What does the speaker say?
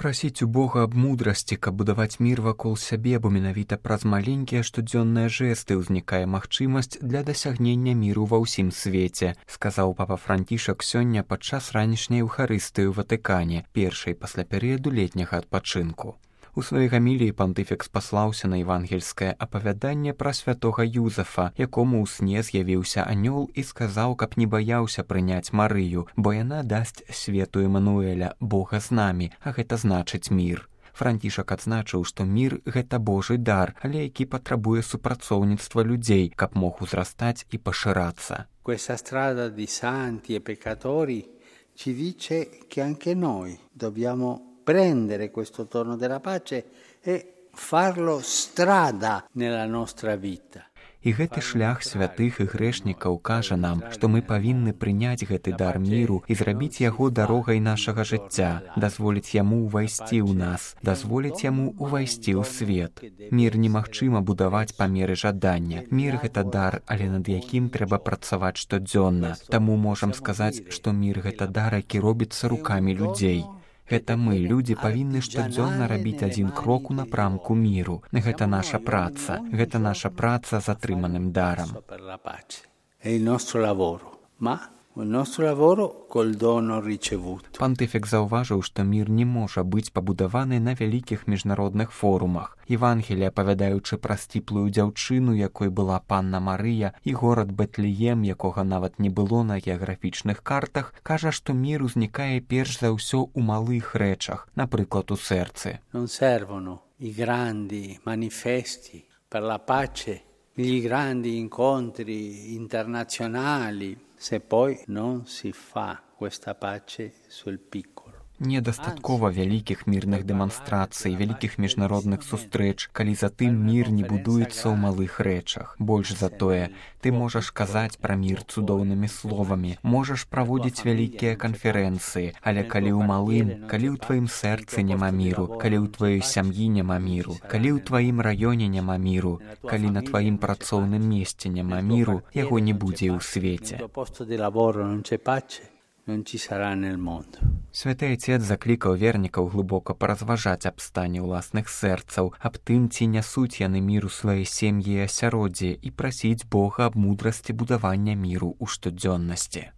Прасіць у Бога аб мудрасці, каб будаваць мір вакол сябе, бо менавіта праз маленькія штодзённыя жэсты ўзнікае магчымасць для дасягнення міру ва ўсім свеце, сказаў папа Францішак сёння падчас ранішняй эўхарыстыі ў Ватыкане, першай пасля перыяду летняга адпачынку. У сваёй гаміліі пантыфік спаслаўся на евангельскае апавяданне пра святога Юзафа, якому ў сне з'явіўся анёл і сказаў, каб не баяўся прыняць Марыю, бо яна дасць свету Эмануэля, Бога з намі, а гэта значыць мір. Францішак адзначыў, што мір – гэта Божы дар, але які патрабуе супрацоўніцтва людзей, каб мог узрастаць і пашырацца. Questa strada di santi e peccatori ci dice che anche noi dobbiamo prendere questo torno della pace e farlo strada nella nostra vita. І гэты шлях святых і грэшнікаў кажа нам, што мы павінны прыняць гэты дар міру і зрабіць яго дарогай нашага жыцця, дазволіць яму ўвайсці ў нас, дазволіць яму ўвайсці ў свет. Мір немагчыма будаваць па меры жадання. Мір – гэта дар, але над якім трэба працаваць штодзённа. Таму можам сказаць, што мір – гэта дар, які робіцца рукамі людзей. Гэта мы, людзі, павінны штодзённа рабіць адзін крок у напрамку міру. Гэта наша праца. Гэта наша праца з атрыманым дарам. Пантыфік заўважыў, што мір не можа быць пабудаваны на вялікіх міжнародных форумах. Евангелія, апавядаючы пра сціплую дзяўчыну, якой была панна Марыя, і горад Бэтлеем, якога нават не было на геаграфічных картах, кажа, што мір узнікае перш за ўсё ў малых рэчах, напрыклад, у сэрцы. Non servono i grandi manifesti per la pace, gli grandi incontri internazionali, se poi non si fa questa pace sul piccolo. Недастаткова вялікіх мірных дэманстрацый, вялікіх міжнародных сустрэч, калі затым мір не будуецца ў малых рэчах. Больш за тое, ты можаш казаць пра мір цудоўнымі словамі, можаш праводзіць вялікія канферэнцыі, але калі ў малым, калі ў тваім сэрцы няма міру, калі ў тваёй сям'і няма міру, калі ў тваім раёне няма міру, калі на тваім працоўным месцы няма міру, яго не будзе ў свеце. Святы Айцец заклікаў вернікаў глыбока паразважаць аб стане ўласных сэрцаў, аб тым, ці нясуць яны міру свае сем'і і асяроддзе, і прасіць Бога аб мудрасці будавання міру ў штодзённасці.